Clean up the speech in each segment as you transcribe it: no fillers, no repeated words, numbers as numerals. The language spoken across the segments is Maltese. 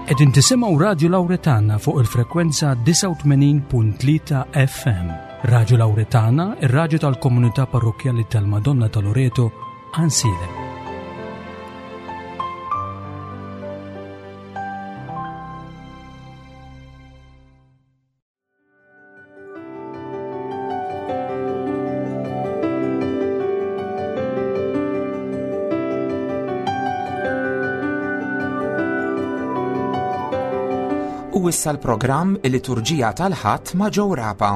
Qegħdin tisimgħu Radju Lawretana fuq il-frekwenza 89.3 FM. Radju Lawretana, ir-radju tal-komunità parrokkjali tal-Madonna ta' Loreto, Ansilem. U issa l-programm Il-Liturġija tal-Ħadd ma' Joe Rapa.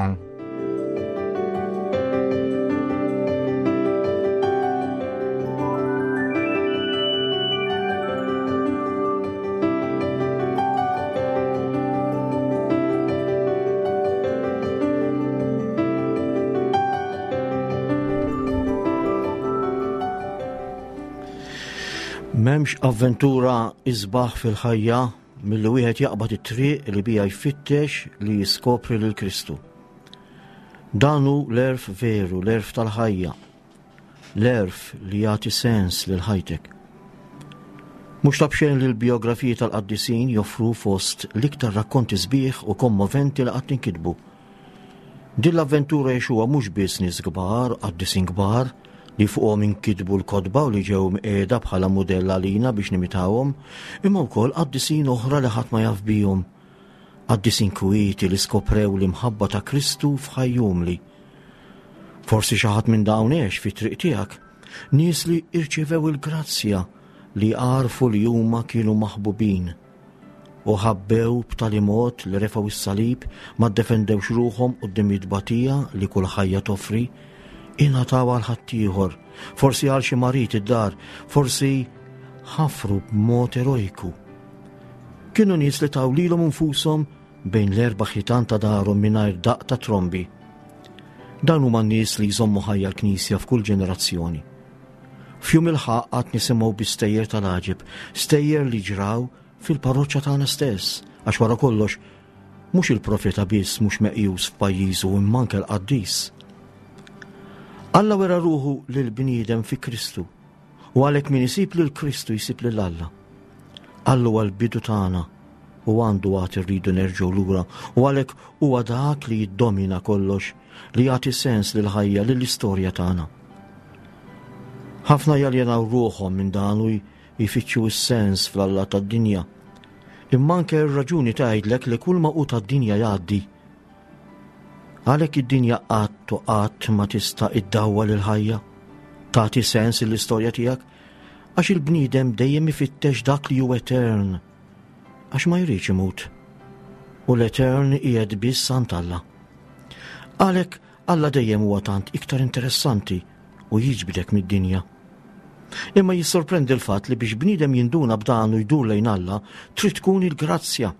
M'hemmx avventura isbaħ fil-ħajja milli wieħed jaqbad it-triq li bija jfittex li jiskopri lil Kristu. Dan hu l-għerf veru, l-għerf tal-ħajja, L-għerf li jagħti sens lil ħajtek. Mhux ta' b'xejn li l-bijografiji tal-qaddisin joffru fost l-iktar rakkonti sbieħ u kommoventi li qatt inkitbu. Din l-avventura jgħixuha mhux biss nies kbar, qaddisin kbar, li fuqhom inkitbu l-kotba u li ġew mqiegħda bħala mudell għalina biex nimitawhom, imma wkoll qaddisin oħra li ħadd ma jaf bihom. Qaddisin kwieti li skoprew l-imħabba ta' Kristu f'ħaj umli. Forsi xi ħadd minn dawn għex fit-triq tiegħek, nies li irċevew il-grazzja li għarfu li huma kienu maħbubin u ħabbew b'tali mod li refgħu s-salib ma ddefendewx ruħhom quddiem it-tbatija li kull ħajja toffri, ingħataw għal ħaddieħor, forsi għal xi marid id-dar, forsi ħafru b'mod erojku. Kienu nies li taw lilhom infushom bejn l-erba' ħitan ta' darhom mingħajr daqq ta' trombi. Dawn huma n-nies li jżommu ħajja l-Knisja f'kull ġenerazzjoni. F'jum il-ħaqq għad nisimgħu bi stejjer tal-għaġeb, stejjer li ġraw fil-parroċċa tagħna stess, għax wara kollox mhux il-profeta biss mhux meqjus f'pajjiżu imma anke l-qaddis. Alla wera ruħu lill-bniedem fi Kristu u għalhekk min isib lil Kristu jsib lil Alla. Alla huwa l-bidu tagħna u għandu għad irridu nerġgħu lura u għalhekk huwa dak li jiddomina kollox, li jagħti sens lill-ħajja, lill-istorja tagħna. Ħafna jaljenaw ruħhom minn dan u jfittxu s-sens fl-alla tad-dinja. Imma anke r-raġuni tgħidlek li kull ma hu tad-dinja jgħaddi. Għalhekk id-dinja qatt u qatt ma tista' iddawwal il-ħajja, tagħti sens l-istorja tiegħek, għax il-bniedem dejjem ifittex dak li hu etern, għax ma jridx imut. U l-etern qiegħed biss għand Alla. Għalhekk Alla dejjem huwa tant iktar interessanti u jiġbdek mid-dinja. Imma jissorprendi l-fatt li biex bniedem jinduna b'dan u jdur lejn Alla, trid tkun il-grazzja.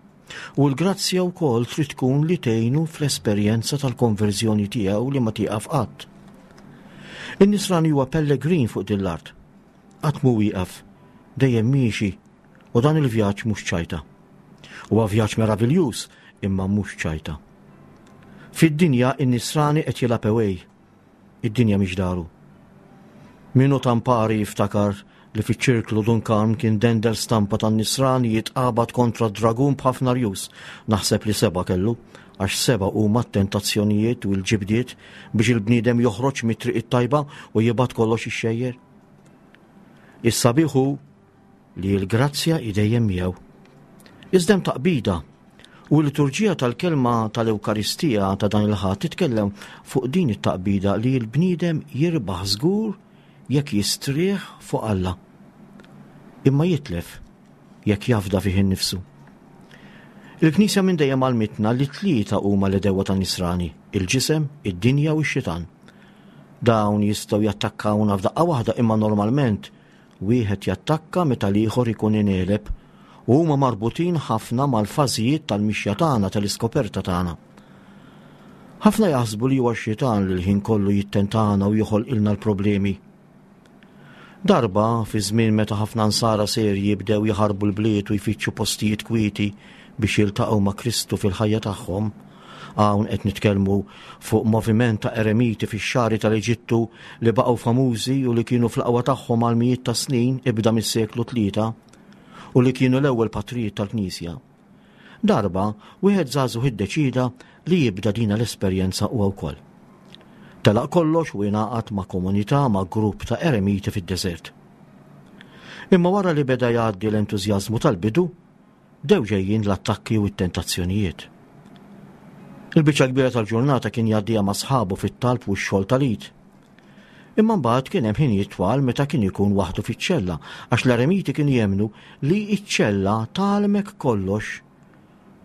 U l-grazzja wkoll trid tkun li tgħinu fl-esperjenza tal-konverżjoni tiegħu li ma tieqaf qatt. In-nisrani huwa pellegrin fuq din l-art. Qatt mhu wieqaf, dejjem miexi u dan il-vjaġġ mhux ċajta. Huwa vjaġġ meraviljuż imma mhux ċajta. Fid-dinja in-nisrani qed jilgħab away. Id-dinja mhix daru. Min hu tampari jiftakar li fiċ-ċirklu Dun Karm kien dendel stampa tan-nisrani jitqabad kontra d-dragun b'ħafna rjus. Naħseb li seba' kellu, għax seba' huma t-tentazzjonijiet u l-ġibdiet biex il-bniedem joħroġ mit-triq it-tajba u jibgħat kollox ixxejjer. Is-sabiħ hu li l-grazzja hi dejjem miegħu. Iżda hemm taqbida u l-liturġija tal-kelma tal-Ewkaristija ta' dan il-Ħadd titkellem fuq din it-taqbida li l-bniedem jirbaħ żgur jekk jistrieħ fuq Alla. Imma jitlef jekk jafda fih innifsu. Il-Knisja minn dejjem għalmitna li tlieta huma l-edewwa tan-nisrani, il-ġisem, id-dinja u x-xitan. Dawn jistgħu jattakkawna f'daqqa waħda imma normalment Wieħed jattakka meta l-ieħor ikun ingħeleb u huma marbutin ħafna mal-fażijiet tal-mixja tagħna tal-iskoperta tagħna. Ħafna jaħsbu li huwa x-xitan li l-ħin kollu jittentana u joħolqilna l-problemi. Darba, fi żmien meta ħafna nsara serji bdew jaħarbu l-bliet u jfittxu postijiet kwieti biex jiltaqgħu ma' Kristu fil-ħajja tagħhom, Hawn qed nitkellmu fuq moviment ta' eremiti fix-xagħri tal-Eġittu li baqgħu famużi u li kienu fl-aqwa tagħhom għal mijiet ta' snin ibda mis-seklu tlieta. u li kienu l-ewwel patrijiet tal-Knisja. Darba, wieħed żagħżugħ iddeċieda li jibda dina l-esperjenza huwa wkoll. Telaq kollox u ingħaqad ma' komunità ma' grupp ta' eremiti fid-deżert. Imma wara li beda jgħaddi l-entużjażmu tal-bidu, bdew ġejjin l-attakki u t-tentazzjonijiet. Il-biċċa kbira tal-ġurnata kien jgħaddiha ma' sħabu fit-talb u x-xogħol tal-id. Imma mbagħad kien hemm ħinijiet twal meta kien ikun waħdu fiċ-ċella, għax l-eremiti kienu jemmnu li ċ-ċella tgħallmek kollox,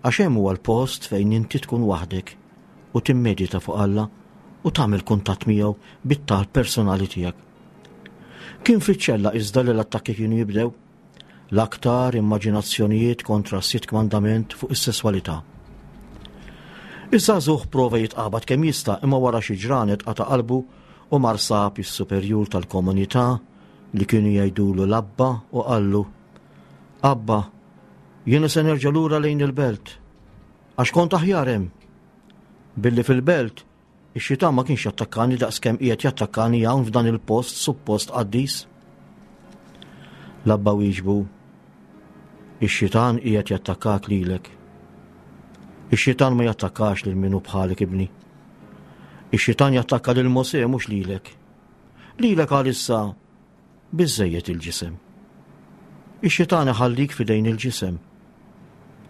għax hemm huwa l-post fejn inti tkun waħdek u timmedita fuq Alla u tagħmel kuntatt miegħu bit-talb personali tiegħek. Kien fiċ-ċella iżda li l-attakki kienu jibdew. L-aktar immaġinazzjonijiet kontra s-sitt kmandament fuq is-sesswalità. Iż-żagħżugħ prova jitqabad kemm jista' imma wara xi ġranet qata' qalbu u mar sab is-superjur tal-komunità li kienu jgħidulu l-Abba u qallu, Abba, jiena se nerġa' lura lejn il-belt, għax kont aħjar hemm. Billi fil-belt Ix-xitan ma kienx jattakkani daqs kemm qiegħed jattakkani hawn f'dan il-post suppost qaddis. L-abba wieġbu, Ix-xitan qiegħed jattakkak lilek. Ix-xitan ma jattakkax lil min hu bħalek ibni. Ix-xitan jattakka lil Mosè mhux lilek. Lilek għalissa Biżżejjed il-ġisem. Ix-xitan iħallik f'idejn il-ġisem.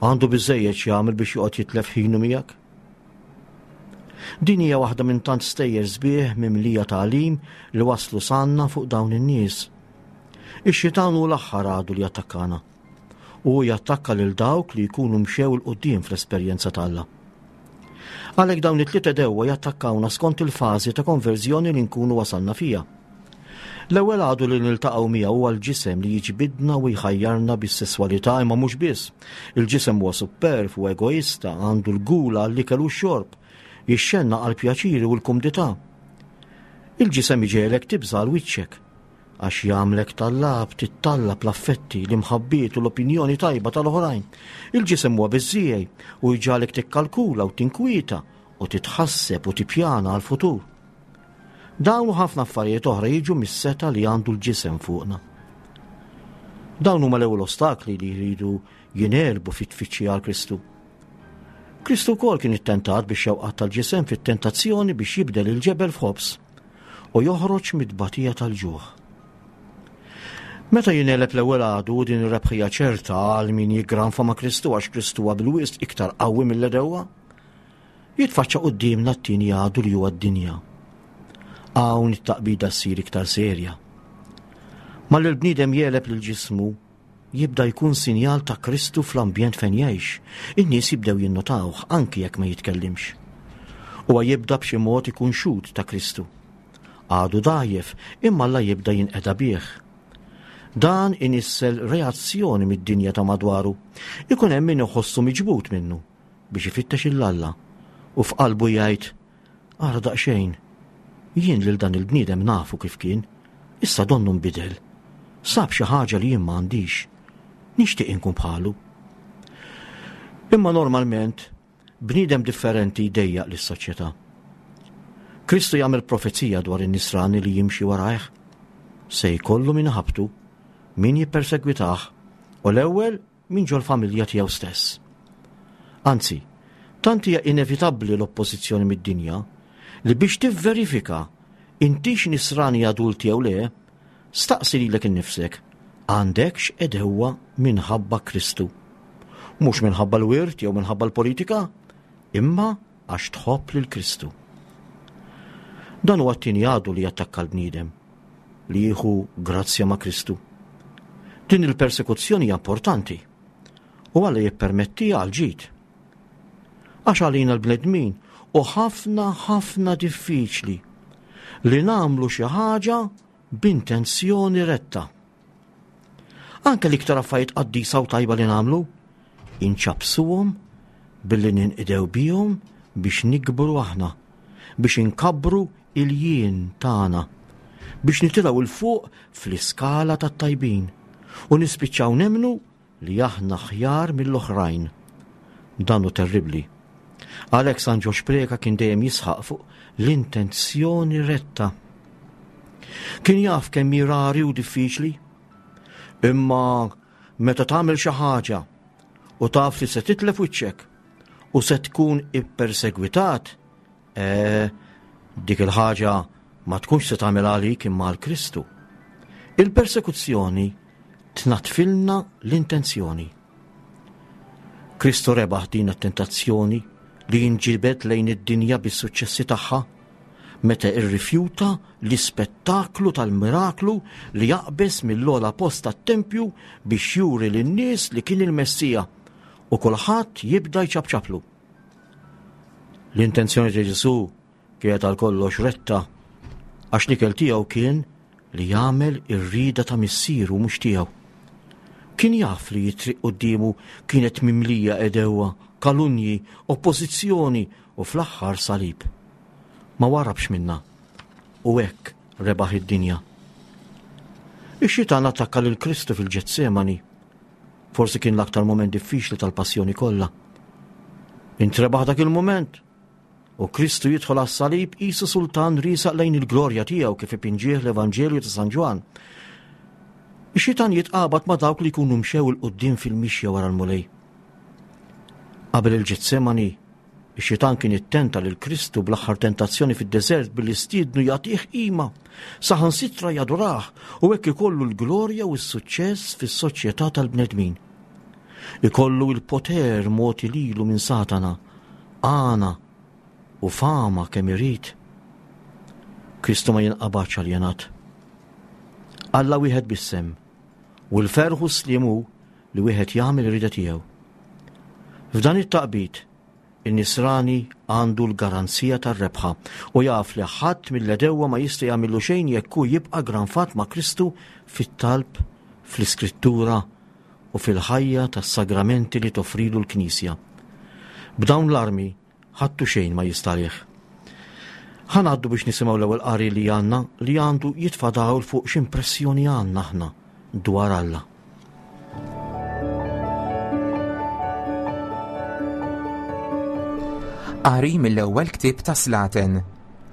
Għandu biżżejjed x'jagħmel biex joqgħod jitlef ħinu miegħek. Din hija waħda minn tant stejjer sbieħ mimlija tagħlim li waslu sanna fuq dawn in-nies. Ix-xitan hu l-aħħar għadu li jattakkana. U jattakka lil dawk li jkunu mxew 'il quddiem fl-esperjenza t'Alla. Għalhekk dawn it-tliet għedewwa jattakkawna skont il-fażi ta' konverżjoni li nkunu wasalna fiha. L-ewwel għadu li niltaqgħu miegħu huwa l-ġisem li jiġbidna u jħajjarna bis-sesswalità imma mhux biss. Il-ġisem huwa supperv u egoista, għandu l-gula għall-ikel u x-xorb, jixxennaq għall-pjaċiri u l-kumdità. Il-ġisem iġegħlek tibża' għal wiċċek, Għax jagħmlek tallab, tittallab l-affetti, l-imħabbiet u l-opinjoni tajba tal-oħrajn. Il-ġisem huwa biżżiegħi u jġagħlek tikkalkula u tinkwieta u titħasseb u tippjana għall-futur. Dawn u ħafna affarijiet oħra jiġu mis-setgħa li għandu l-ġisem fuqna. Dawn huma l-ewwel ostakli li jridu jingħelbu fit-tfittxija għal Kristu. Kristu wkoll kien ittentat bix-xewqat tal-ġisem fit-tentazzjoni biex jibdel il-ġebel f'ħobż u joħroġ mit-tbatija tal-ġuħ. Meta jingħeleb l-ewwel għadu din ir-rebħija ċerta għal min jiggranfa ma' Kristu għax Kristu huwa bil-wisq iktar qawwi mill-edewwa, jitfaċċa quddiemna t-tieni għadu li huwa d-dinja. Hawn it-taqbida ssir iktar serja. Malli l-bniedem jegħleb lil ġismu, jibda jkun sinjal ta' Kristu fl-ambjent fejn jgħix. In-nies jibdew jinnotawh anki jekk ma jitkellimx. Huwa jibda b'xi mod ikun xhud ta' Kristu. Għadu dgħajjef, imma Alla jibda jinqeda bih. Dan inissel reazzjoni mid-dinja ta' madwaru. Ikun hemm min iħossu miġbud minnu biex ifittex 'il Alla u f'qalbu jgħid, Ara daqsxejn, jien lil dan il-bniedem nafu kif kien, issa donnu nbidel. Sab xi ħaġa li jien ma għandix. Nixtieq inkun bħalu. Imma normalment, bniedem differenti jdejjaq lis-soċjetà. Kristu jagħmel profezija dwar in-nisrani li jimxi warajh. Se jkollu min iħabbtu, min jippersegwitah, u l-ewwel minn ġol-familja tiegħu stess. Anzi, tant hija inevitabbli l-oppożizzjoni mid-dinja li biex tivverifika intix nisrani adult jew le, staqsi lilek innifsek, għandekx għedewwa minħabba Kristu? Mhux minħabba l-wirt jew minħabba l-politika, imma għax tħobb lil Kristu. Dan huwa t-tieni għadu li jattakka l-bniedem, li jieħu grazzja ma' Kristu. Din il-persekuzzjoni hija importanti u Alla jippermettiha għal ġid. Għax għalina l-bnedmin u ħafna ħafna diffiċli li nagħmlu xi ħaġa b'intenzjoni retta. Anke l-iktar affarijiet qaddisa u tajba li nagħmlu, inċappsuhom billi ninqdew bihom biex nikbru aħna, biex inkabbru il-jien tagħna, biex nitilgħu 'l fuq fl-iskala tat-tajbin u nispiċċaw nemmnu li aħna aħjar mill-oħrajn. Dan hu terribbli. Għalhekk San Ġorġ Preca kien dejjem jisħaq fuq l-intenzjoni retta. Kien jaf kemm hi rari u diffiċli, imma meta tagħmel xi ħaġa u taf li se titlef wiċċek u se tkun ippersegwitat, eh, dik il-ħaġa ma tkunx se tagħmel għalik imma għal Kristu. Il-persekuzzjoni tnatfilna l-intenzjoni. Kristu rebaħ din it-tentazzjoni li jinġibed lejn id-dinja bis-suċċessi tagħha meta irrifjuta l-ispettaklu tal-miraklu li jaqbeż mill-ogħla post tat-tempju biex juri lin-nies li kien il-Messija u kulħadd jibda jċapċaplu. L-intenzjoni ta' Ġesù Kienet għal kollox retta għax l-ikel tiegħu kien li jagħmel ir-rieda ta' missieru mhux tiegħu. Kien jaf li t-triq quddiemu kienet mimlija għedewwa, kalunji, oppożizzjoni u fl-aħħar salib. Ma warrabx minnha u hekk rebaħ id-dinja. Ix-xitan attakka lil Kristu fil-Ġetsemani. Forsi kien l-aktar mument diffiċli tal-passjoni kollha. Intrebaħ dak il-mument U Kristu jidħol għas-salib qisu sultan riesaq lejn il-glorja tiegħu kif ipinġih l-Evanġelju ta' San Ġwann. Ix-xitan jitqabad ma' dawk li jkunu mxew 'il quddiem fil-mixja wara l-Mulej. Qabel il-Ġetsemani, ix-xitan kien ittenta lil Kristu bl-aħħar tentazzjoni fid-deżert billi stiednu jagħtih qima, saħansitra jadurah u hekk ikollu l-glorja u s-suċċess fis-soċjetà tal-bnedmin. Ikollu l-poter mogħti lilu minn Satana għana u fama kemm irid. Kristu ma jinqabadx aljenat. Alla wieħed biss hemm, u l-ferħ u s-sliem hu li wieħed jagħmel ir-rieda tiegħu. F'dan it-taqbid, in-nisrani għandu l-garanzija tar-rebħa u jaf li ħadd mill-għedewwa ma jista' jagħmillu xejn jekk hu jibqa' granfat ma' Kristu fit-talb, fl-Iskrittura u fil-ħajja tas-sagramenti li toffrilu l-Knisja. B'dawn l-armi ħadd u xejn ma jista' għalih. Ħa ngħaddu biex nisimgħu l-ewwel qari li għandna li għandu jitfa' dawl fuq x'impressjoni għandna aħna dwar Alla. Qari mill-ewwel ktieb ta' Slaten.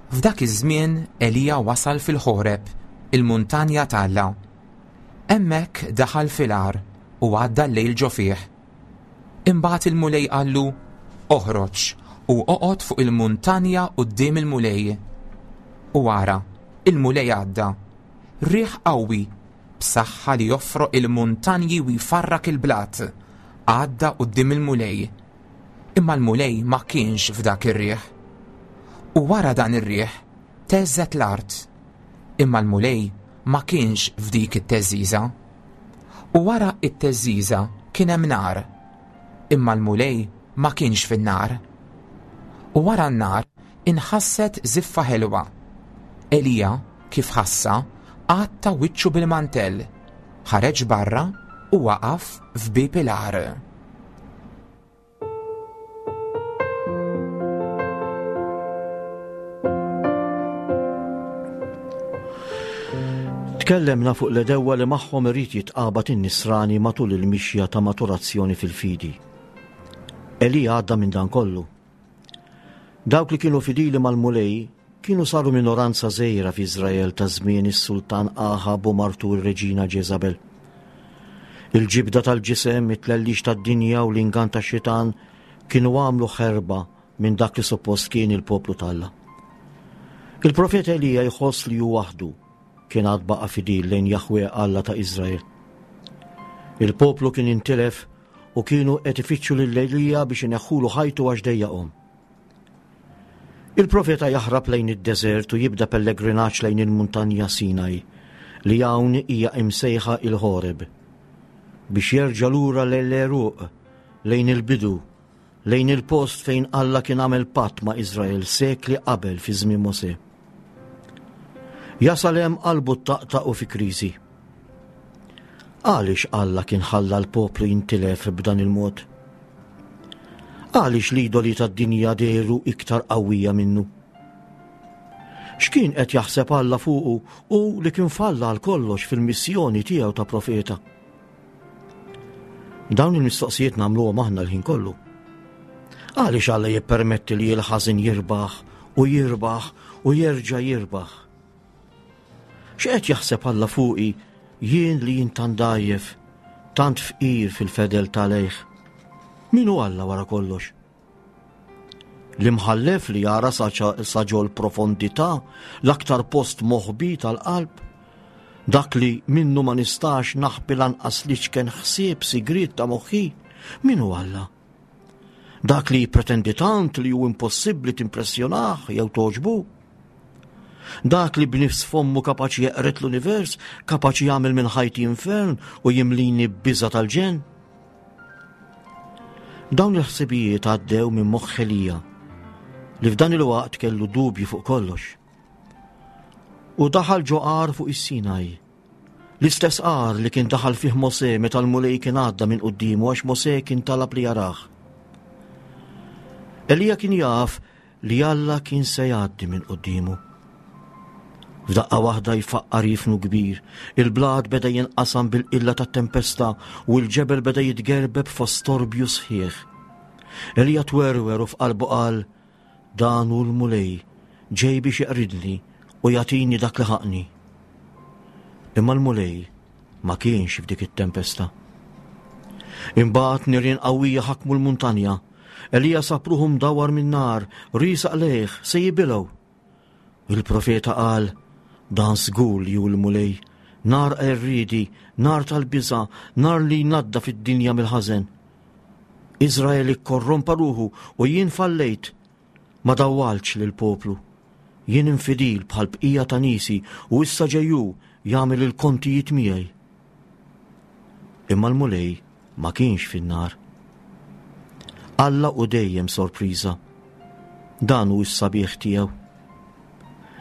F'dak iż-żmien Elija wasal fil-Ħoreb, il-muntanja t'Alla. Hemmhekk daħal fil-għar u għadda l-lejl ġo fih. Imbagħad il-Mulej qallu, Oħroġ u oqgħod fuq il-muntanja quddiem il-Mulej. U ara, il-Mulej għadda. Riħ qawwi, b'saħħa li joffroq il-muntanji u jfarrak il-blat, għadda quddiem il-Mulej. Imma l-Mulej ma kienx f'dak ir-riħ. U wara dan ir-riħ theżżet l-art. Imma l-Mulej ma kienx f'dik it-theżżiża. U wara t-theżżiża kien hemm nar, imma l-Mulej ma kienx fin-nar. U wara n-nar inħasset żiffa ħelwa. Elija, kif ħassha, għatta wiċċu bil-mantell, ħareġ barra u waqaf f'bieb il-għar. Tkellemna fuq l-edewwa li magħhom irid jitqabad in-nisrani matul il-mixja ta' maturazzjoni fil-fidi. Elija għadda minn dan kollu. Dawk li kienu fidili mal-Mulej kienu saru minoranza żgħira f'Iżrael ta' żmien is-sultan Aħab u martu r-reġina Ġeżabel. Il-ġibda tal-ġisem, it-tlellix tad-dinja u l-ingann tax-xitan kienu għamlu ħerba minn dak li suppost kien il-poplu t'Alla. Il-profeta Elija jħoss li hu waħdu kien għad baqa' fidil lejn Jaħwe Alla ta' Iżrael. Il-poplu kien intilef u kienu qed ifittxu lil Elija biex ineħħulu ħajtu għax dejjaqhom. Il-profeta jaħrab lejn id-deżert u jibda pellegrinaġġ lejn il-muntanja Sinaj, li hawn hija imsejħa il-Ħoreb, biex jerġa' lura lejn l-għeruq, lejn il-bidu, lejn il-post fejn Alla kien għamel patt ma' Iżrael sekli qabel fi żmien Mosè. Jasal hemm qalbu ttaqtaq u fi kriżi. Għaliex Alla kien ħalla l-poplu jintilef b'dan il-mod? Għaliex l-idoli tad-dinja dehru iktar qawwija minnu? X'kien qed jaħseb Alla fuqu u li kien falla għal kollox fil-missjoni tiegħu ta' profeta? Dawn il-mistoqsijiet nagħmluhom aħna l-ħin kollu. Għaliex Alla jippermetti li l-ħażin jirbaħ u jirbaħ u jerġa' jirbaħ? X'qed jaħseb Alla fuqi jien li jien tant dgħajjef? Tant fqir fil-fedeltà lejh. Min hu Alla wara kollox? L-imħallef li jara sa ġol-profondità, l-aktar post moħbi tal-qalb, dak li minnu ma nistax naħbi lanqas l-iċken ħsieb sigriet ta' moħħi, min hu Alla? Dak li jippretendi tant li hu impossibbli timpressjonah jew togħġbu? Dak li b'nifs fommu kapaċi jeqred l-univers, kapaċi jagħmel minn ħajti infern u jimlini b'biża' tal-ġenn? Dawn il-ħsibijiet għaddew minn moħħ Elija li f'dan il-waqt kellu dubji fuq kollox. U daħal ġo għar fuq is-Sinaj. L-istess għar li kien daħal fih Mosè meta l-Mulej kien għadda minn quddiemu għax Mosè kien talab li jarah. Elija kien jaf li Alla kien se jgħaddi minn quddiemu. F'daqqa waħda jfaqqa' riefnu kbir, il-blat beda jinqasam bil-qilla tat-tempesta u l-ġebel beda jitgerbeb fost storbju sħiħ. Elija twerwer u f'qalbu qal, Dan hu l-Mulej, ġej biex jeqridni u jagħtini dak li ħaqqni. Imma l-Mulej ma kienx f'dik it-tempesta. Imbagħad nirien qawwija ħakmu l-muntanja Elija sab ruħu mdawwar min-nar, riesaq lejh, se jibilgħu. Il-profeta qal, Dan żgur li hu l-Mulej, nar qerriedi, nar tal-biża', nar li jnaddaf id-dinja mill-ħażen. Iżrael ikkorrompa ruħu u jien fallejt, ma dawwaltx lill-poplu. Jien infidil bħall-bqija ta' niesi u issa ġej hu jagħmel il-kontijiet miegħi. Imma l-Mulej ma kienx fin-nar. Alla hu dejjem sorpriża. Dan hu s-sabiħ tiegħu.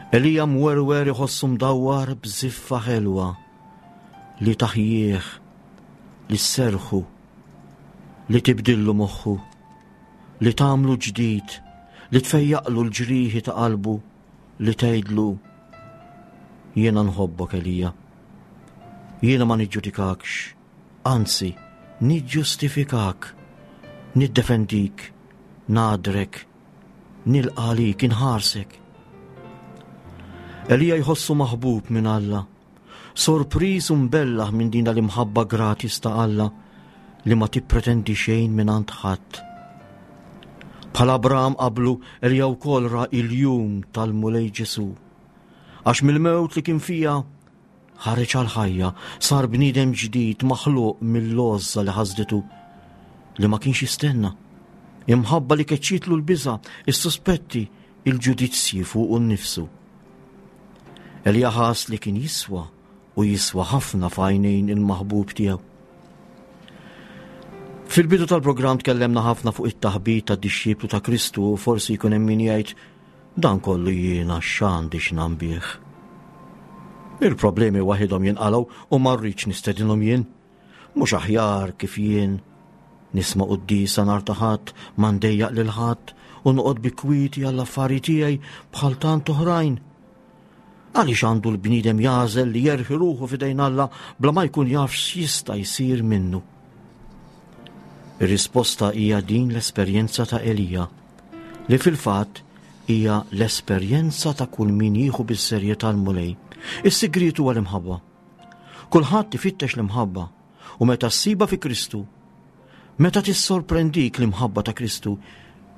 Elija mwerwer iħossu mdawwar b'żiffa ħelwa li taħjih, li sserħu, li tibdillu moħħu, li tagħmlu ġdid, li tfejjaqlu l-ġrieħi ta' qalbu, li tgħidlu jiena nħobbok Elija. Jiena ma niġġudikakx, Anzi, niġġustifikak, niddefendik, nagħdrek, nilqa' għalik, inħarsek. Elija jħossu maħbub minn Alla, sorpriż u mbellaħ minn din l-imħabba gratis ta' Alla li ma tippretendi xejn minn għand ħadd. Bħal Abraham qablu, Elija wkoll ra il-jum tal-Mulej Ġesu. Għax mill-mewt li kien fija Ħareġ għall-ħajja, sar bniedem ġdid maħluq mill-għożża li ħasditu, li ma kienx jistenna. Imħabba li keċċietlu l-biża', is-suspetti, il-ġudizzji fuqu nnifsu. Elija ħass li kien jiswa u jiswa ħafna f'għajnejn il-maħbub tiegħu. Fil-bidu tal-programm tkellemna ħafna fuq it-taħbit tad-dixxiplu ta' Kristu u forsi jkun hemm min jgħid Dan kollu jiena x'għandi x'nambih. Il-problemi waħidhom jinqalgħu u ma rridx nistedinhom jien. Mhux aħjar kif jien nisma' quddiesa nhar ta' Ħadd ma ndejjaq lil ħadd u noqgħod bi kwieti għall-affari tiegħi bħal tant oħrajn. Għaliex għandu l-bniedem jagħżel li jerħi ruħu f'idejn Alla bla ma jkun jaf x'jista' jsir minnu? Ir-risposta hija din l-esperjenza ta' Elija, li fil-fatt hija l-esperjenza ta' kull min jieħu bis-serjetà l-Mulej. Is-sigriet huwa l-imħabba. Kulħadd ifittex l-imħabba u meta ssibha fi Kristu, meta tissorprendik l-imħabba ta' Kristu,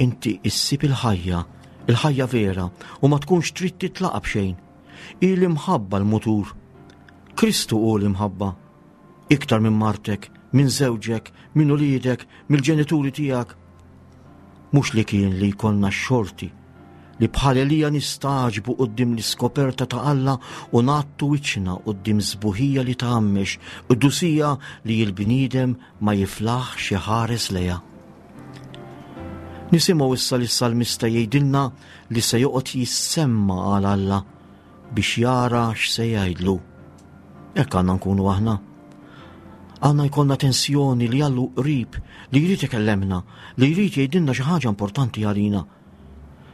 inti issib il-ħajja, il-ħajja vera, u ma tkunx trid titlaqa b'xejn. Hi l-imħabba l-mutur. Kristu hu l-imħabba. Iktar minn martek, minn żewġek, minn uliedek, mill-ġenituri tiegħek. Mhux li kien li jkollna x-xorti li bħal Elija nistagħġbu quddiem l-iskoperta ta' Alla u ngħattu wiċċna quddiem sbuħija li tgħammex, qdusija li l-bniedem ma jiflaħx iħares lejha. Nisimgħu issa lis-salmista jgħidilna li se joqgħod jissemma għal Alla biex jara x'se jgħidlu. Hekk għandna nkunu aħna. Għandna jkollna tensjoni li Allu qrib, li jrid ikellemna, li jrid jgħidilna xi ħaġa importanti għalina.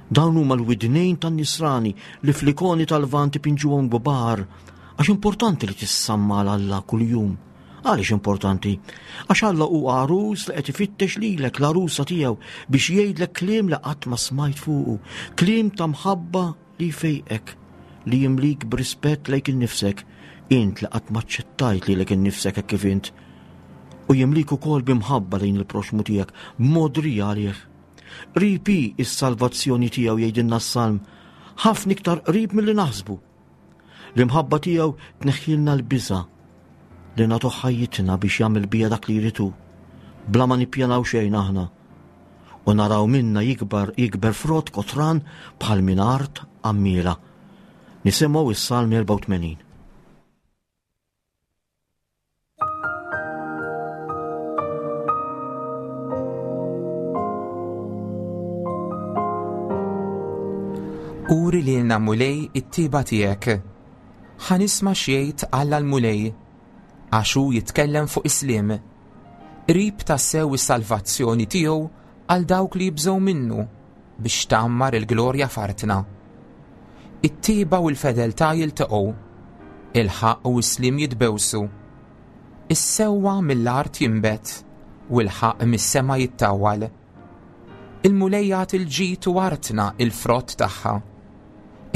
Dawn huma l-widnejn tan-nisrani li fl-ikoni tal-Lvant ipinġuhom kbar, għax importanti li tissamma għal Alla kuljum. Għaliex importanti? Għax Alla hu għarus li qed ifittex lilek l-għarusa tiegħu biex jgħidlek kliem li qatt ma smajt fuqu, kliem ta' mħabba li jfejqek, li jimlik b'rispett lejk innifsek, int li qatt ma aċċettajt lilek innifsek hekk kif int. U jimlik ukoll b'imħabba lejn il-proxmu tiegħek, b'modrija għalih. Qrib hi s-salvazzjoni tiegħu jgħidilna s-Salm, ħafna iktar qrib milli naħsbu. L-imħabba tiegħu tneħħilna l-biża' li nagħtuh ħajjitna biex jagħmel bija dak li jrid hu, bla ma nippjanaw xejn aħna. U naraw minna jikbar jikber frott kotran bħal minn art għammiela. Nisimgħu is-Salm 84. Uri lilna Mulej it-tiba tiegħek. Ħa nisma' x'jgħid Alla l-Mulej, għax hu jitkellem fuq is-sliem. Qrib tassew is-salvazzjoni tiegħu għal dawk li jibżgħu minnu biex tgħammar il-glorja f'artna. It-tiba u l-fedeltà jiltaqgħu, il-ħaqq u s-sliem jitbewsu. Is-sewwa mill-art jinbet u l-ħaqq mis-sema jittawwal. Il-Mulej jagħti l-ġid u artna il-frott tagħha.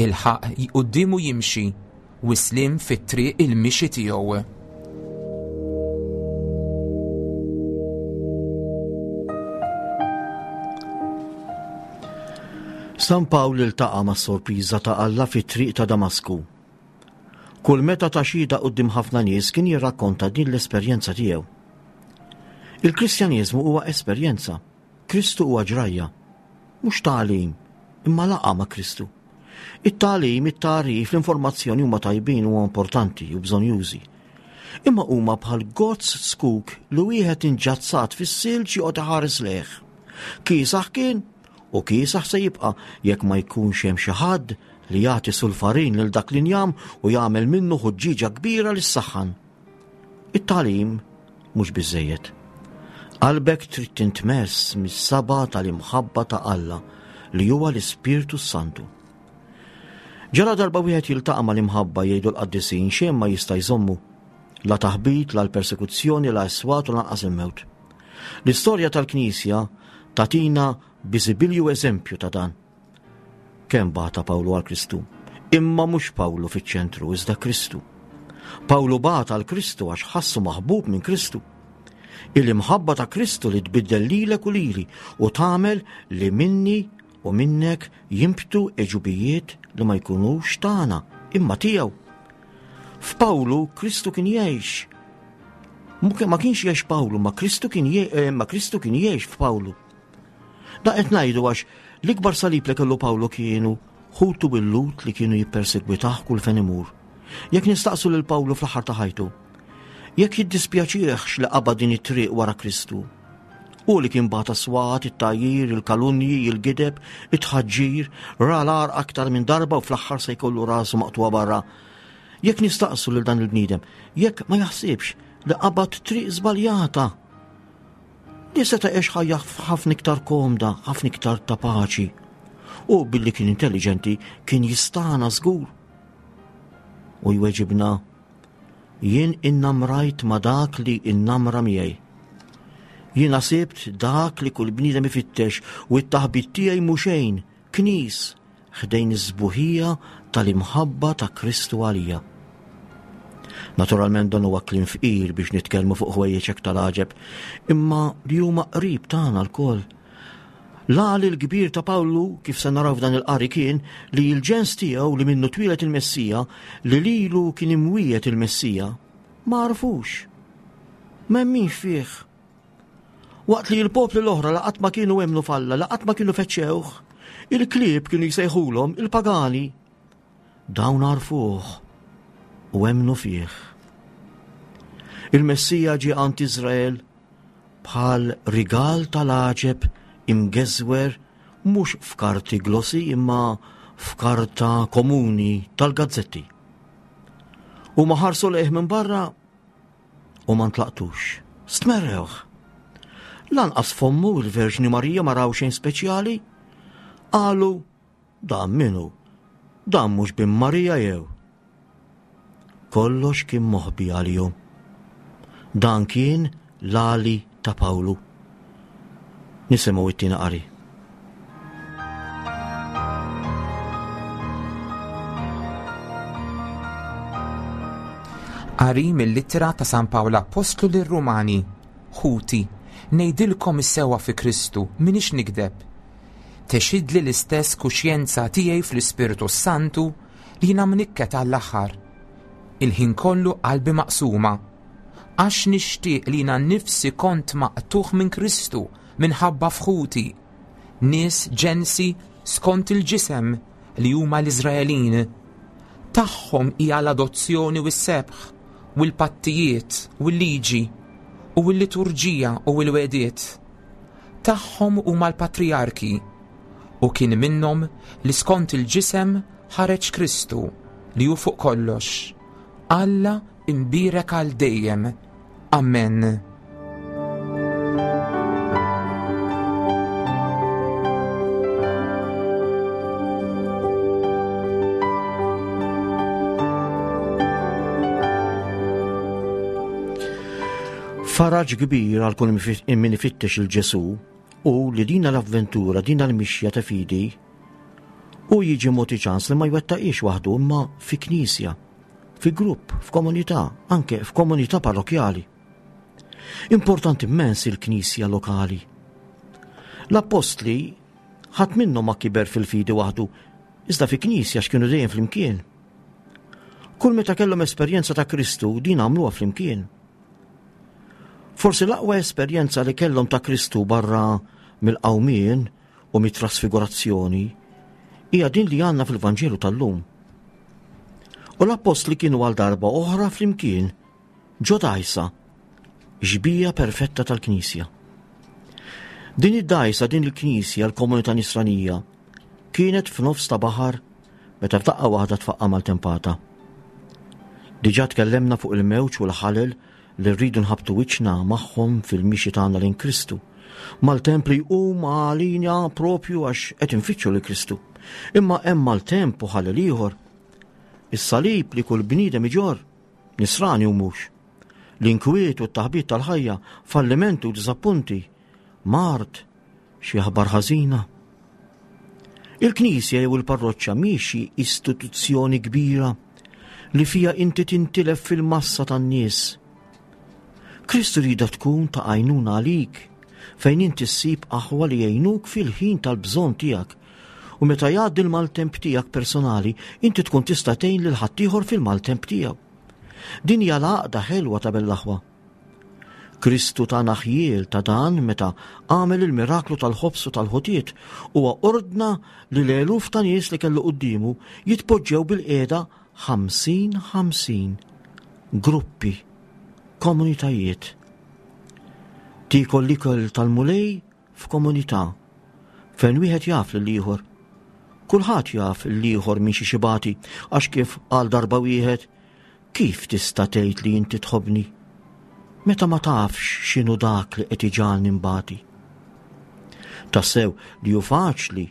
Il-ħaqq quddiemu jimxi u s-sliem fit-triq il-mixi tiegħu. San Pawl iltaqa' mas-sorpriża ta' Alla fit-triq ta' Damasku. Kull meta ta xhieda quddiem ħafna nies kien jirrakkonta din l-esperjenza tiegħu. Il-Kristjaneżmu huwa esperjenza. Kristu huwa ġrajja. Mhux tagħlim, imma laqgħa ma' Kristu. It-tagħlim, it-tagħrif, l-informazzjoni huma tajbin u importanti u bżonjużi. Imma huma bħal gozz zkuk li wieħed inġazzat fis-silġ joqgħod iħares lejh. Kiesaħ kien u kiesaħ se jibqa' jekk ma jkunx hemm xi ħadd li jagħti sulfarin lil dak l-injam u jagħmel minnu ħuġġieġa kbira li ssaħħan. It-tagħlim mhux biżżejjed. Qalbek trid tintmess mis-saba tal-imħabba ta' Alla li huwa l-Ispirtu s-Santu. Ġara darba wieħed jiltaqa' mal-imħabba jgħidu l-qaddisin xejn ma jista' jżommu. La taħbit, la l-persekuzzjoni, la s-swat u lanqas il-mewt. L-istorja tal-Knisja tatina biżibilju eżempju ta' dan. Kemm bata Pawlu għal Kristu? Imma mhux Pawlu fiċ-ċentru, iżda Kristu. Pawlu bata għal Kristu għax ħassu maħbub minn Kristu. Il-imħabba ta' Kristu li tbiddel lilek u lili u tagħmel li minni u minnek jimbtu eġubijiet li ma jkunux tagħna imma tiegħu. F'Pawlu Kristu kien jgħix. Ma kienx jgħix Pawlu, ma Kristu kien eh, ma Kristu kien jgħix f'Pawlu. Da qed ngħidu għax l-ikbar salib li kellu Pawlu kienu ħutu bil-Lut li kienu jippersegwitah kull fejn imur. Jekk nistaqsu lil Pawlu fl-aħħar ta' ħajtu, jekk jiddispjaċihx li qabad din it-triq wara Kristu. U li kien bata swat, it-tajjir, il-kalunji, il-gideb, it-tħaġġir, ra l-għar aktar minn darba u fl-aħħar se jkollu rasu maqtuwa barra. Jekk nistaqsu lil dan il-bniedem, jekk ma jaħsibx li qabad triq żbaljata Li seta' għex ħajja ħafna iktar komda, ħafna iktar ta' paċi. U billi kien intelligenti kien jistana żgur. U jweġibna, jien innamrajt ma' dak li innamra miegħi. Jiena sibt dak li kull bniedem ifittex u t-taħbit tiegħi mhu xejn, knis, ħdejn is-sbuħija tal-imħabba ta' Kristu għalija. Naturalment dan huwa kliem fqir biex nitkellmu fuq ħwejjeġ hekk tal-għaġeb, imma li huma qrib tagħna lkoll. L-għali l-kbir ta' Pawlu, kif se naraw f'dan il-qari kien li l-ġens tiegħu li minnu twieled il-Messija, li lilu kien imwiegħed il-Messija, ma għarfux. M'hemmix fih. Waqt li l-popli l-oħra la qatt ma kienu emmnu f'Alla, la qatt ma kienu feċċewh, il-klieb kienu jsejħulhom il-pagani. Dawn għarfuh u emmnu fih. Il-Messija ġie għand Iżrael bħal rigal tal-għaġeb imgeżwer mhux f'karti glossy imma f'karta komuni tal-gazzetti. U ma ħarsu lejh minn barra U ma ntlaqtux. Stmerrewh. Lanqas fommu il-Verġni Marija ma raw xejn speċjali. Qalu, dan minu? Dan mhux bin Marija jew? Kollox kien moħbi għalihom. Dan kien l-għali ta' Pawlu. Nisimgħu it-tieni qari. Qari mill-ittra ta' San Pawl Appostlu lir-Rumani. Ħuti, ngħidilkom is-sewwa fi Kristu, m'iniex nigdeb. Texidli l-istess kuxjenza tiegħi fl-Ispirtu s-Santu li jiena mnikket għall-aħħar. Il-ħin kollu qalbi maqsuma. Għax nixtieq li jiena nnifsi kont maqtugħ minn Kristu minħabba f'ħuti, nies ġensi skont il-ġisem li huma l-Iżraelin. Tagħhom hija l-adozzjoni u s-sebħ, u l-pattijiet u l-liġi, u l-liturġija u l-wegħdiet. Tagħhom huma l-patrijarki, u kien minnhom li skont il-ġisem ħareġ Kristu li hu fuq kollox. Alla imbierek għal dejjem. Amen. Faraġ kbir għal kull min ifittex il-Ġesu u li dina l-avventura, dina l-mixja ta' fidi, u jiġi moti ċans li ma jwettaqix waħdu imma fi knisja. fi grupp, f'komunità, anke f'komunità parrokjali. Importanti immens il-knisja lokali. L-appostli ħadd minnhom ma kiber fil-fidi waħdu, iżda fi knisja x'kienu dejjem flimkien. Kull meta kellhom esperjenza ta' Kristu din għamluha flimkien. Forsi l-aqwa esperjenza li kellhom ta' Kristu barra mill-qawmien u mit-trasfigurazzjoni hija din li għandna fil-Vanġelu tal-lum. U l-appostli kienu għal darba oħra flimkien ġo dajsa, xbija perfetta tal-Knisja. Din id-dajsa, din il-Knisja, l-komunità nisranija, kienet f'nofs ta' baħar meta f'daqqa waħda tfaqqa maltempata. Diġà tkellemna fuq il-mewġ u l-ħalel li rridu nħabbtu wiċċna magħhom fil-mixi tagħna lejn Kristu. Maltemp li jqum għalina propju għax qed infittxu lil Kristu. Imma hemm maltemp u ħalel ieħor. Is-salib li kull bniedem iġorr, nisrani u mhux. L-inkwiet u t-taħbit tal-ħajja, fallimenti u diżappunti, mard, Xi aħbar ħażina? Il-knisja jew il-parroċċa mhix xi istituzzjoni kbira li fiha inti tintilef fil-massa tan-nies. Kristu jridha tkun ta' għajnuna għalik fejn inti ssib aħwa li jgħinuk fil-ħin tal-bżonn tiegħek u meta jgħaddi l-maltemp tiegħek personali inti tkun tista' tgħin lil ħaddieħor fil-maltemp tiegħu. Din hija l-għaqda ħelwa ta' bell-aħwa. Kristu tana ħjiel ta' dan meta għamel il-miraklu tal-ħobż u tal-ħutiet. Huwa ordna li l-eluf ta' nies li kellu quddiemu jitpoġġew bilqiegħda 50 50, gruppi, komunitajiet. Tiekol l-ikel tal-Mulej f'komunità fejn wieħed jaf lill-ieħor. Kulħadd jaf l-ieħor minn xi xibati għax kif qal darba wieħed Kif tista' tgħid li inti tħobbni meta ma tafx x'inhu dak li qed iġagħalni nbati? Tassew li hu faċli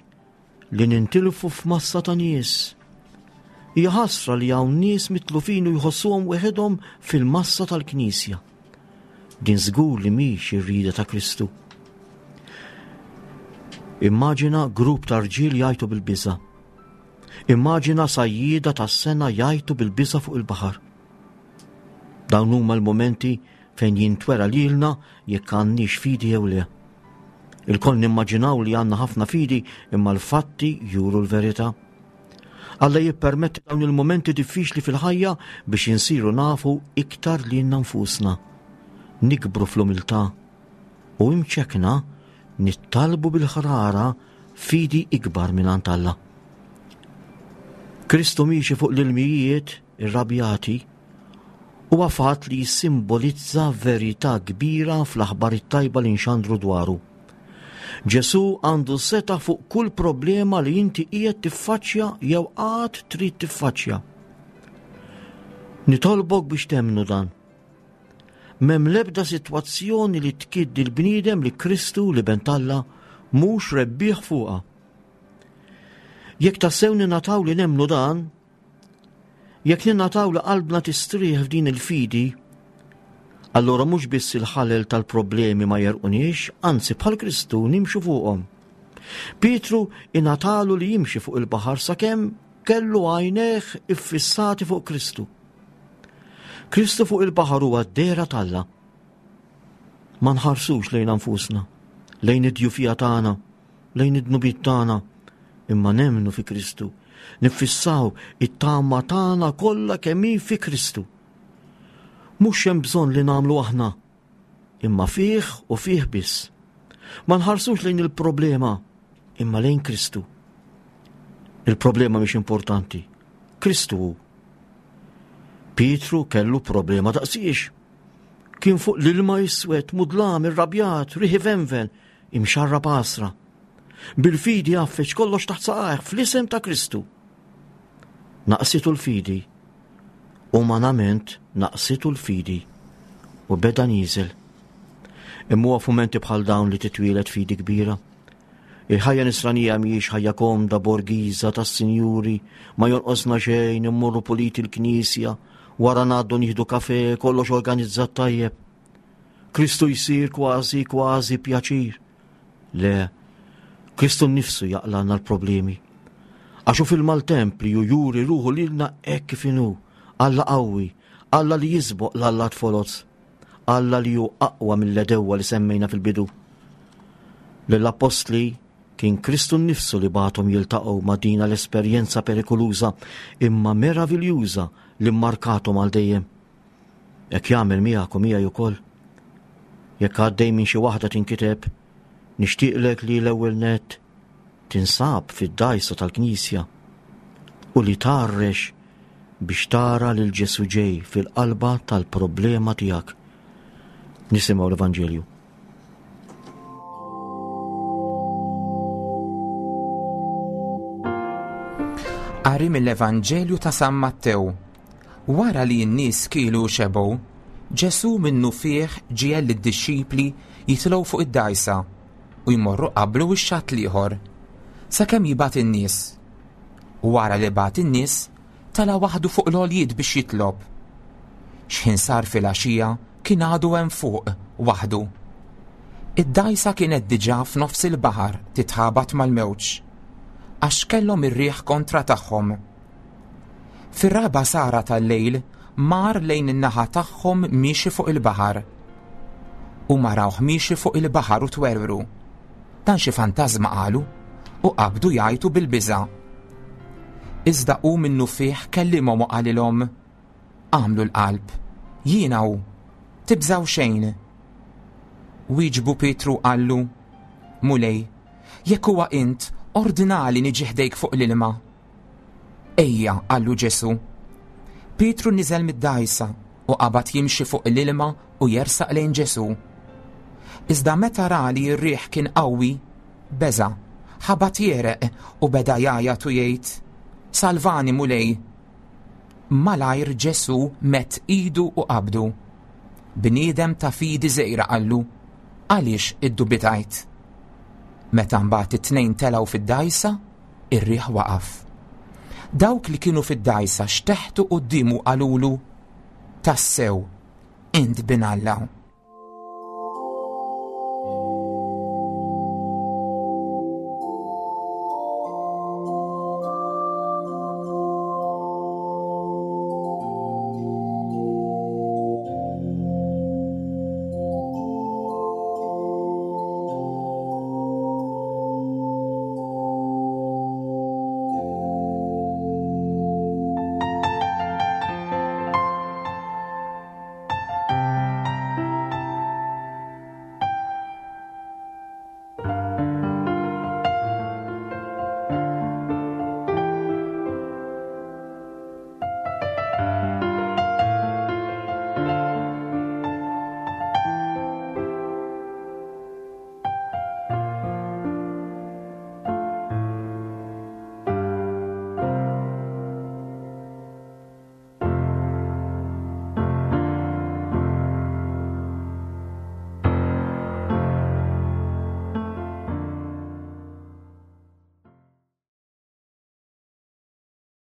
li nintilfu f'massa ta' nies. Hija ħasra li hawn nies mitlufin u jħossuhom weħidhom fil-massa tal-Knisja. Din żgur li mhix ir-rieda ta' Kristu. Immaġina grupp ta' rġiel jgħajtu bil-biża'. Immaġina sajjieda tas-sena jgħajtu bil-biża' fuq il-baħar. Dawn huma l-mumenti fejn jintwera lilna jekk għandniex fidi jew le. Ilkoll nimmaġinaw li għandna ħafna fidi imma l-fatti juru l-verità. Alla jippermetti dawn il-mumenti diffiċli fil-ħajja biex insiru nafu iktar lilna nfusna. Nikbru fl-umiltà u imċekna nittalbu bil-ħrara fidi ikbar mingħand Alla. Kristu miexi fuq l-ilmijiet irrabjati huwa fatt li jissimbolizza verità kbira fl-aħbar it-tajba li nxandru dwaru. Ġesù għandu seta' fuq kull problema li inti qiegħed tiffaċċja jew għad trid tiffaċċja. Nitolbok biex temmnu dan. M'hemm l-ebda sitwazzjoni li tkidd il-bniedem li Kristu, l-Iben t'Alla, mhux rebbieħ fuqha. Jekk tassew ningħataw li nemmnu dan, jekk ningħataw li qalbna tistrieħ f'din il-fidi, allura mhux biss il-ħalel tal-problemi ma jerquniex, anzi bħal Kristu nimxu fuqhom. Pietru ingħatalu li jimxi fuq il-baħar sakemm kellu għajnejh iffissati fuq Kristu. Kristu fuq il-baħar huwa d-dehra t'Alla. Ma nħarsux lejn anfusna, lejn id-djufija tagħna, lejn id-dnubiet tagħna, imma nemmnu fi Kristu. Niffissaw it-tama tagħna kollha kemm hi fi Kristu. Mhux hemm bżonn li nagħmlu aħna, imma fih u fih biss. Ma nħarsux lejn il-problema, imma lejn Kristu. Il-problema mhix importanti. Kristu hu. Pietru kellu problema daqsiex. Kien fuq l-ilma iswed, mudlam, irrabjat, riħi venven, imxarrab għasra. Bil-fidi għaffeġ kollox taħt saqajh fl-isem ta' Kristu. Naqsitu l-fidi. Umanament naqsitu l-fidi u beda nieżel. Imma huwa f'mumenti bħal dawn li titwieled fidi kbira. Il-ħajja nisranija mhijiex ħajja komda borgiża tas-sinjuri, ma jonqosna xejn, immorru puliti l-knisja, wara ngħaddu nieħdu kafe, kollox organizzat tajjeb. Kristu jsir kważi kważi pjaċir. Le, Kristu nnifsu jaqlagħna l-problemi. Għax hu fil-maltemp li ju juri ruħu lilna hekk kif inhu, Alla qawwi, Alla li jisboq l-allat foloz, Alla li hu aqwa mill-għedewwa li semmejna fil-bidu. Lill-appostli kien Kristu nnifsu li bagħathom jiltaqgħu ma' dina l-esperjenza perikoluża imma meraviljuża li mmarkathom għal dejjem. Hekk jagħmel miegħek u miegħi ukoll. Jekk għaddej minn xi waħda tinkiteb, nixtieqlek li l-ewwel nett tinsab fid-dgħajsa tal-Knisja u li tgħarrex biex tara lil Ġesù ġej fil-qalba tal-problema tiegħek. Nisimgħu l-Evanġelju. Qari mill-Evanġelju ta' San Mattew. Wara li n-nies kielu u xebgħu, Ġesù minnufih ġiegħel lid-dixxipli jitilgħu fuq id-dgħajsa u jmorru qablu x-xatt l-ieħor, sakemm jibgħat in-nies. Wara li bagħat in-nies, tela' waħdu fuq l-għoljiet biex jitlob. X'ħin sar filgħaxija kien għadu hemm fuq, waħdu. Id-dgħajsa kienet diġà f'nofs il-baħar titħabat mal-mewġ, għax kellhom ir-riħ kontra tagħhom. Fir-raba' sara tal-lejl mar lejn in-naħa tagħhom miexi fuq il-baħar. Huma rawh miexi fuq il-baħar u twerwru. Dan xi fantażma qalu u qabdu jgħajtu bil-biża'. Iżda hu minnufih kellimhom u qalilhom, Agħmlu l-qalb, jiena hu, tibżgħu xejn. Wieġbu Pietru u qallu, Mulej, jekk huwa int, ordnali niġi ħdejk fuq l-ilma. Ejja, qallu Ġesù. Pietru niżel mid-dgħajsa u qabad jimxi fuq l-ilma u jersaq lejn Ġesù. Iżda meta ra li r-riħ kien qawwi, beża', ħabat jegħreq u beda jgħajjat u jgħid, Salvani, Mulej! Malajr Ġesù medd idu u qabdu. Bniedem ta' fidi żgħira qallu, Għaliex iddubitajt? Meta mbagħad it-tnejn telgħu fid-dgħajsa, Ir-riħ waqaf. Dawk li kienu fid-dgħajsa xteħtu quddiemu qalulu, Tassew, int Bin Alla.